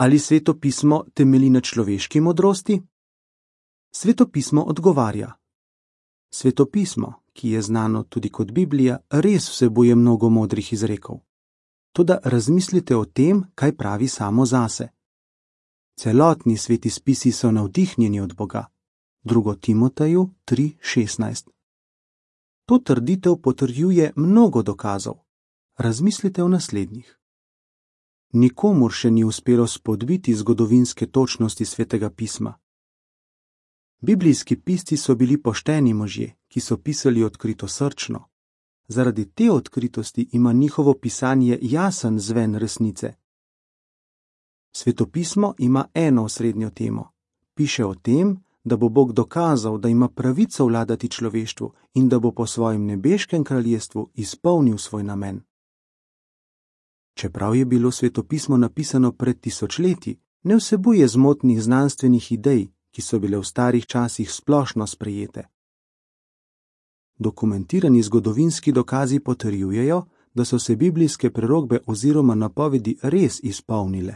Ali Sveto pismo temelji na človeški modrosti? Sveto pismo odgovarja: Sveto pismo, ki je znano tudi kot Biblija, res vsebuje mnogo modrih izrekov. Toda razmislite o tem, kaj pravi samo zase. Celotni sveti spisi so navdihnjeni od Boga. 2. Timoteju 3:16. To trditev potrjuje mnogo dokazov. Razmislite o naslednjih. Nikomur še ni uspelo spodbiti zgodovinske točnosti Svetega pisma. Biblijski pisci so bili pošteni možje, ki so pisali odkritosrčno. Zaradi te odkritosti ima njihovo pisanje jasen zven resnice. Svetopismo ima eno osrednjo temo. Piše o tem, da bo Bog dokazal, da ima pravico vladati človeštvu in da bo po svojem nebeškem kraljestvu izpolnil svoj namen. Čeprav je bilo svetopismo napisano pred tisočletji, ne vsebuje zmotnih znanstvenih idej, ki so bile v starih časih splošno sprejete. Dokumentirani zgodovinski dokazi potrjujejo, da so se biblijske prerokbe oziroma napovedi res izpolnile.